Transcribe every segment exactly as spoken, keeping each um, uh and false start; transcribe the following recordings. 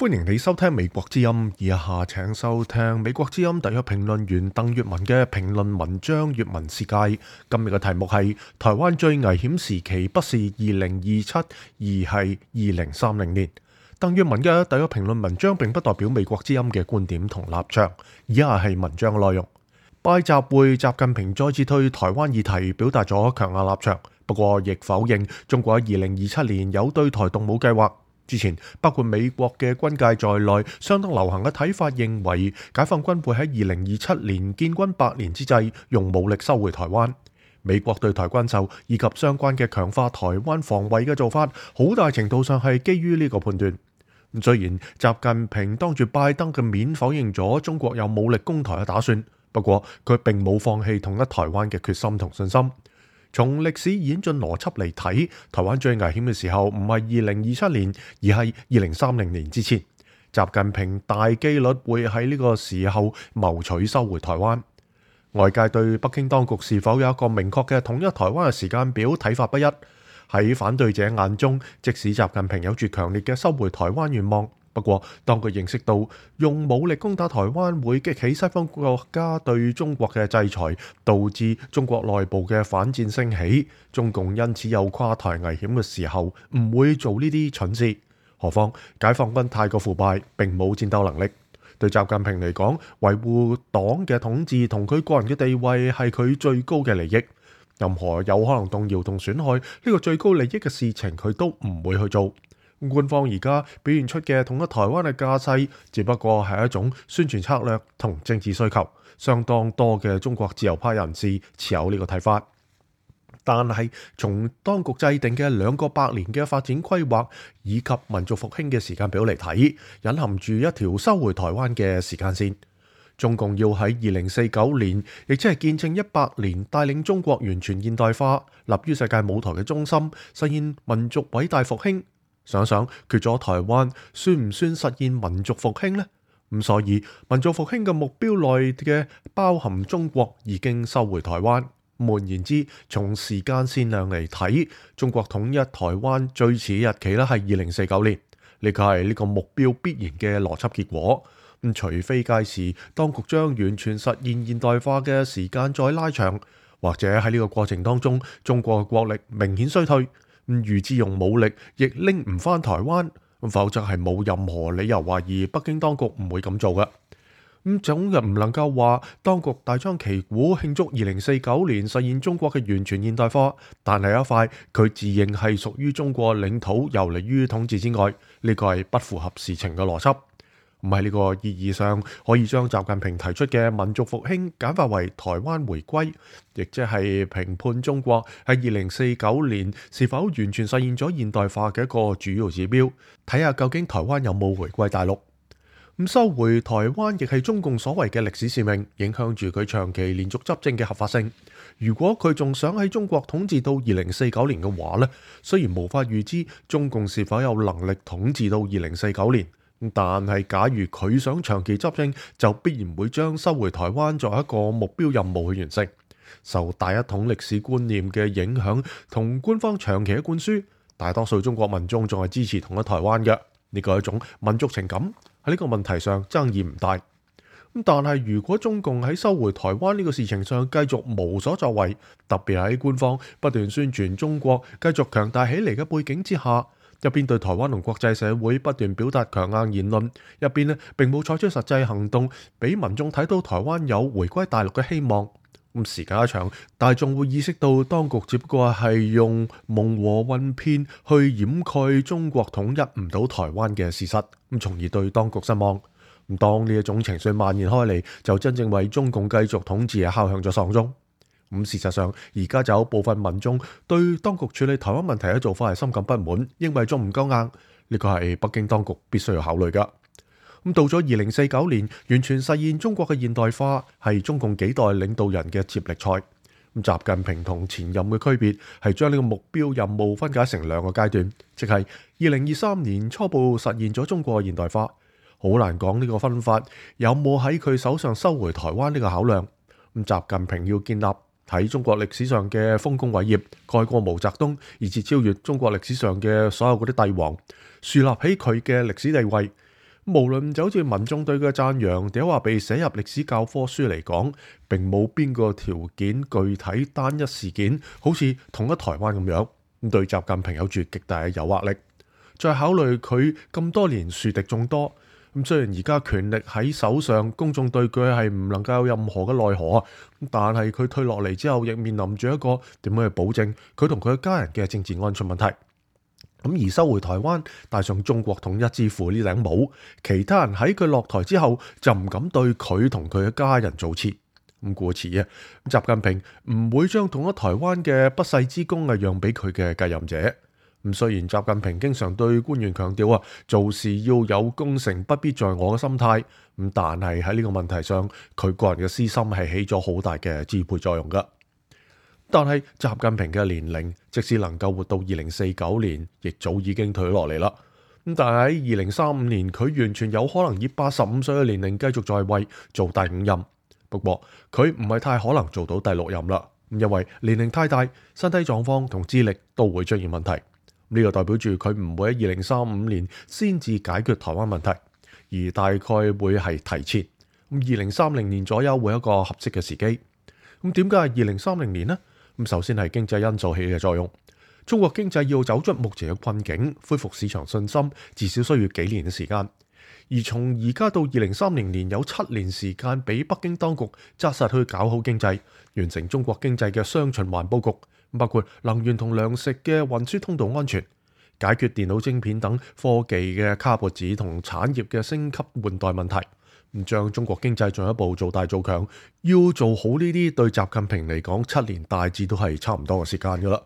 歡迎你收聽美國之音，以下請收聽美國之音特約評論員鄧粵文嘅評論文章《粵文世界》。今日嘅題目係台灣最危險時期不是二零二七，而係二零三零年。鄧粵文嘅特約評論文章並不代表美國之音嘅觀點同立場，以下係文章嘅內容。拜習會，習近平再次對台灣議題表達咗強硬立場，不過亦否認中國喺二零二七年有對台動武計劃。之前包括美國嘅軍界在內，相當流行嘅睇法認為，解放軍會喺二零二七年建軍百年之際，用武力收回台灣。美國對台軍售以及相關嘅強化台灣防衛嘅做法，好大程度上係基於呢個判斷。雖然習近平當住拜登嘅面否認咗中國有武力攻台嘅打算，不過佢並冇放棄統一台灣嘅決心同信心。從歷史演進邏輯嚟睇，台灣最危險嘅時候唔係二零二七年，而係二零三零年之前。習近平大機率會喺呢個時候謀取收回台灣。外界對北京當局是否有一個明確嘅統一台灣嘅時間表睇法不一。喺反對者眼中，即使習近平有住強烈嘅收回台灣願望，不過當佢認識到用武力攻打台灣會激起西方國家對中國嘅制裁，導致中國內部嘅反戰升起，中共因此有跨台危險嘅時候，唔會做呢啲蠢事。何況解放軍太過腐敗，並冇戰鬥能力。對習近平嚟講，維護黨嘅統治同佢個人嘅地位係佢最高嘅利益。任何有可能動搖同損害呢個最高利益嘅事情，佢都唔會去做。官方而家表現出嘅統一台灣嘅架勢，只不過係一種宣傳策略同政治需求。相當多嘅中國自由派人士持有呢個睇法，但係從當局制定嘅兩個百年嘅發展規劃以及民族復興嘅時間表嚟睇，隱含住一條收回台灣嘅時間線。中共要喺二零四九年，亦即係建政一百年，帶領中國完全現代化，立於世界舞台嘅中心，實現民族偉大復興。想想缺咗台灣，算唔算實現民族復興呢？咁所以民族復興嘅目標內嘅包含中國已經收回台灣。換言之，從時間線量嚟睇，中國統一台灣最遲日期咧係二零四九年，呢個係呢個目標必然嘅邏輯結果。咁除非屆時當局將完全實現現代化嘅時間再拉長，或者喺呢個過程當中，中國嘅國力明顯衰退。咁預知用武力亦拎唔返台灣，否則係冇任何理由懷疑北京當局唔會咁做嘅。咁總又唔能夠話當局大張旗鼓慶祝二零四九年實現中國嘅完全現代化，但係一塊佢自認係屬於中國領土遊離於統治之外，呢個係不符合事情嘅邏輯。唔喺呢個意義上，可以將習近平提出嘅民族復興簡化為台灣回歸，亦即係評判中國喺二零四九年是否完全實現咗現代化嘅一個主要指標，睇下究竟台灣有冇回歸大陸。咁收回台灣亦係中共所謂嘅歷史使命，影響住佢長期連續執政嘅合法性。如果佢仲想喺中國統治到二零四九年嘅話呢，雖然無法預知中共是否有能力統治到二零四九年。但係假如佢想長期執政，就必然會將收回台灣作為一個目標任務去完成。受大一統歷史觀念嘅影響同官方長期嘅灌輸，大多數中國民眾仲係支持統一台灣嘅。呢個係一種民族情感，喺呢個問題上爭議唔大。但係如果中共喺收回台灣呢個事情上繼續無所作為，特別喺官方不斷宣傳中國繼續強大起嚟嘅背景之下，一邊對台灣同國際社會不斷表達強硬言論，一邊呢並冇採取實際行動，俾民眾睇到台灣有回歸大陸嘅希望。咁時間一長，大眾會意識到當局只不過係用蒙和混騙去掩蓋中國統一唔到台灣嘅事實，咁從而對當局失望。咁當呢一種情緒蔓延開嚟，就真正為中共繼續統治敲響咗喪鐘。咁事實上，而家就有部分民眾對當局處理台灣問題嘅做法係深感不滿，認為仲唔夠硬。呢個係北京當局必須要考慮㗎。咁到咗二零四九年，完全實現中國嘅現代化係中共幾代領導人嘅接力賽。咁習近平同前任嘅區別係將呢個目標任務分解成兩個階段，即係二零二三年初步實現咗中國嘅現代化。好難講呢個分法有冇喺佢手上收回台灣呢個考量。咁習近平要建立喺中國歷史上嘅豐功偉業，蓋過毛澤東，以至超越中國歷史上嘅所有嗰啲帝王，樹立起佢嘅歷史地位。無論就好似民眾對佢嘅讚揚，定話被寫入歷史教科書嚟講，並冇邊個條件具體單一事件，好似統一台灣咁樣，咁對習近平有住極大嘅誘惑力。再考慮佢咁多年樹敵眾多，咁雖然而家權力喺手上，公眾對佢係唔能夠有任何嘅奈何啊，但係佢退落嚟之後，亦面臨住一個點樣去保證佢同佢嘅家人嘅政治安全問題。咁而收回台灣，戴上中國統一之父呢頂帽，其他人喺佢落台之後就唔敢對佢同佢嘅家人造次。咁故此啊，習近平唔會將統一台灣嘅不世之功啊讓俾佢嘅繼任者。咁雖然習近平經常對官員強調啊，做事要有功成不必在我嘅心態，咁但係喺呢個問題上，佢個人嘅私心係起咗好大嘅支配作用噶。但係習近平嘅年齡，即使能夠活到二零四九年，亦早已經退落嚟啦。咁但係喺二零三五年，佢完全有可能以八十五歲嘅年齡繼續在位做第五任。不過佢唔係太可能做到第六任啦，因為年齡太大，身體狀況同智力都會出現問題。呢個代表住佢唔會喺二零三五年先至解決台灣問題，而大概會係提前。咁二零三零年左右會有一個合適嘅時機。咁點解係二零三零年呢？咁首先係經濟因素起嘅作用。中國經濟要走出目前嘅困境，恢復市場信心，至少需要幾年嘅時間。而從而家到二零三零年，有七年時間俾北京當局紮實去搞好經濟，完成中國經濟嘅雙循環佈局，包括能源同糧食嘅運輸通道安全，解決電腦晶片等科技嘅卡脖子同產業嘅升級換代問題。唔將中國經濟進一步做大做強，要做好呢啲，對習近平嚟講，七年大致都係差唔多嘅時間噶啦。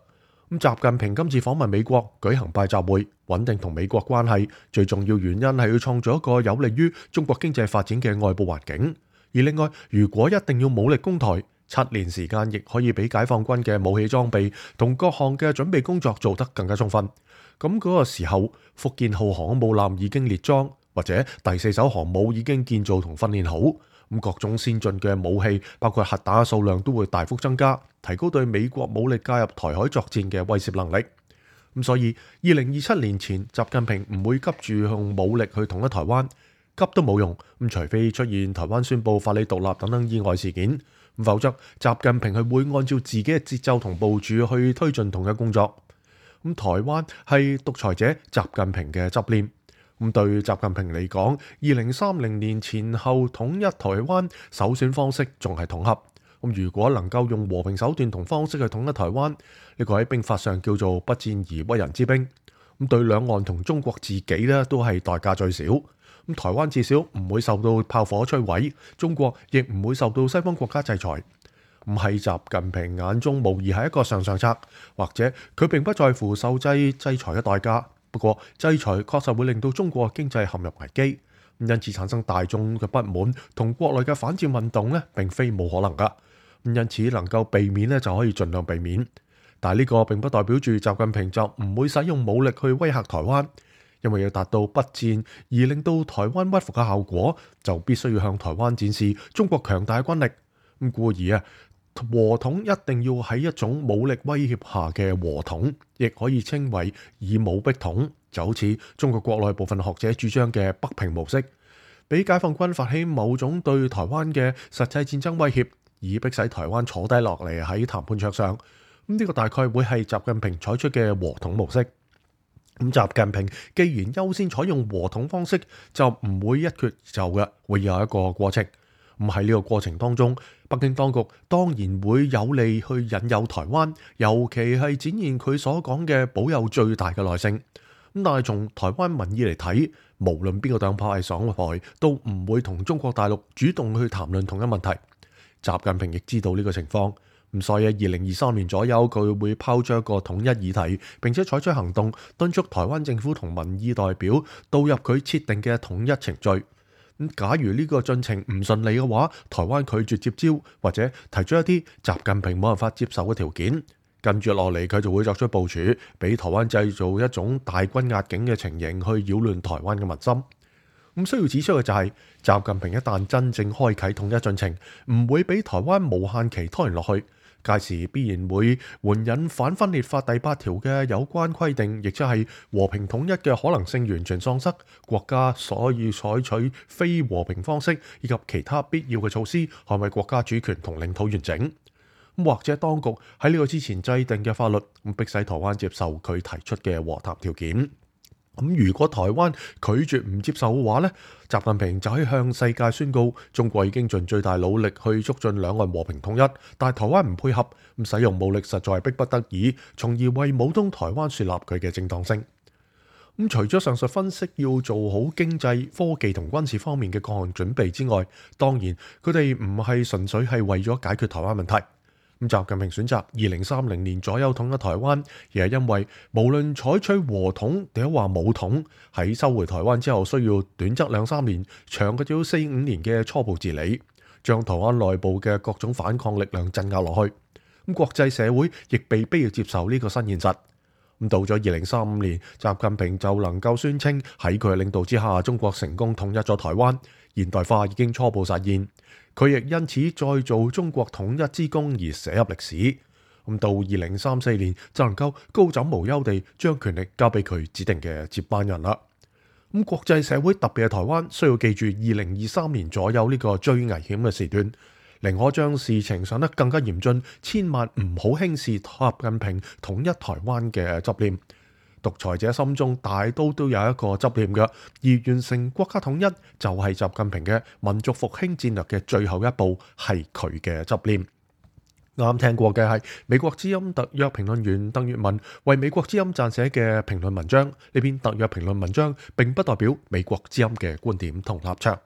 咁習近平今次訪問美國，舉行拜習會，穩定同美國關係，最重要原因係要創造一個有利於中國經濟發展嘅外部環境。而另外，如果一定要武力攻台，七年時間亦可以俾解放軍嘅武器裝備同各項嘅準備工作做得更加充分。咁嗰個時候，福建號航空母艦已經列裝，或者第四艘航母已經建造同訓練好，咁各種先進嘅武器，包括核彈嘅數量都會大幅增加，提高對美國武力介入台海作戰嘅威懾能力。咁所以二零二七年前，習近平唔會急住用武力去統一台灣，急都冇用。咁除非出現台灣宣布法理獨立等等意外事件，否則習近平係會按照自己嘅節奏同部署去推進統一工作。咁台灣係獨裁者習近平嘅執念。咁對習近平嚟講，二零三零年前後統一台灣首選方式仲係統合。咁如果能夠用和平手段同方式去統一台灣，呢個喺兵法上叫做不戰而屈人之兵。咁對兩岸同中國自己咧都係代價最少。咁台灣至少唔會受到炮火摧毀，中國亦唔會受到西方國家制裁。唔係習近平眼中無疑係一個上上策，或者佢並不在乎受制制裁嘅代價。不過制裁確實會令到中國經濟陷入危機，因此產生大眾嘅不滿同國內嘅反戰運動呢，並非冇可能噶。因此能夠避免呢，就可以盡量避免。但係呢個並不代表住習近平就唔會使用武力去威嚇台灣，因為要達到不戰而令到台灣屈服嘅效果，就必須要向台灣展示中國強大嘅軍力。咁故而啊，和統一定要喺一種武力威脅下嘅和統，亦可以稱為以武逼統，就好似中國國內部分學者主張嘅北平模式，俾解放軍發起某種對台灣嘅實際戰爭威脅，以迫使台灣坐低落嚟喺談判桌上。咁呢個大概會係習近平採取嘅和統模式。咁習近平既然優先採用和統方式，就唔會一決就嘅，會有一個過程。咁喺呢個過程當中，北京當局當然會有利去引誘台灣，尤其係展現佢所講嘅保有最大嘅耐性。咁但係從台灣民意嚟睇，無論邊個黨派係上台，都唔會同中國大陸主動去談論同一問題。習近平亦知道呢個情況，咁所以喺二零二三年左右，佢會拋出一個統一議題，並且採取行動，敦促台灣政府同民意代表導入佢設定嘅統一程序。咁假如呢個進程唔順利嘅話，台灣拒絕接招或者提出一啲習近平冇辦法接受嘅條件，跟住落嚟佢就會作出部署，俾台灣製造一種大軍壓境嘅情形，去擾亂台灣嘅民心。咁需要指出嘅就係，習近平一旦真正開啟統一進程，唔會俾台灣無限期拖延落去。屆時必然會援引反分裂法第八條嘅有關規定，亦即係和平統一嘅可能性完全喪失，國家所以採取非和平方式以及其他必要嘅措施捍衛國家主權同領土完整。或者當局喺呢個之前制定嘅法律，咁迫使台灣接受佢提出嘅和談條件。咁如果台灣拒絕唔接受嘅話呢，習近平就可以向世界宣告中國已經盡最大努力去促進兩岸和平統一，但係台灣唔配合，咁使用武力實在係迫不得已，從而為武統台灣樹立佢嘅正當性。咁除咗上述分析要做好經濟、科技同軍事方面嘅各項準備之外，當然佢哋唔係純粹係為咗解決台灣問題。咁習近平選擇二零三零年左右統一台灣，而係因為無論採取和統定係話武統，喺收回台灣之後，需要短則兩三年，長嘅要四五年嘅初步治理，將台灣內部嘅各種反抗力量鎮壓落去。咁國際社會亦被逼要接受呢個新現實。咁到咗二零三五年，習近平就能夠宣稱喺佢嘅領導之下，中國成功統一咗台灣，現代化已經初步實現。佢亦因此再做中國統一之功而寫入歷史。咁到二零三四年就能夠高枕無憂地將權力交俾佢指定嘅接班人啦。咁國際社會特別係台灣需要記住二零二三年左右呢個最危險嘅時段，寧可將事情想得更加嚴峻，千萬唔好輕視習近平統一台灣嘅執念。獨裁者心中大都都有一個執念嘅，而完成國家統一就係習近平嘅民族復興戰略嘅最後一步，係佢嘅執念。啱聽過嘅係美國之音特約評論員鄧粵文為美國之音撰寫嘅評論文章，呢篇特約評論文章並不代表美國之音嘅觀點同立場。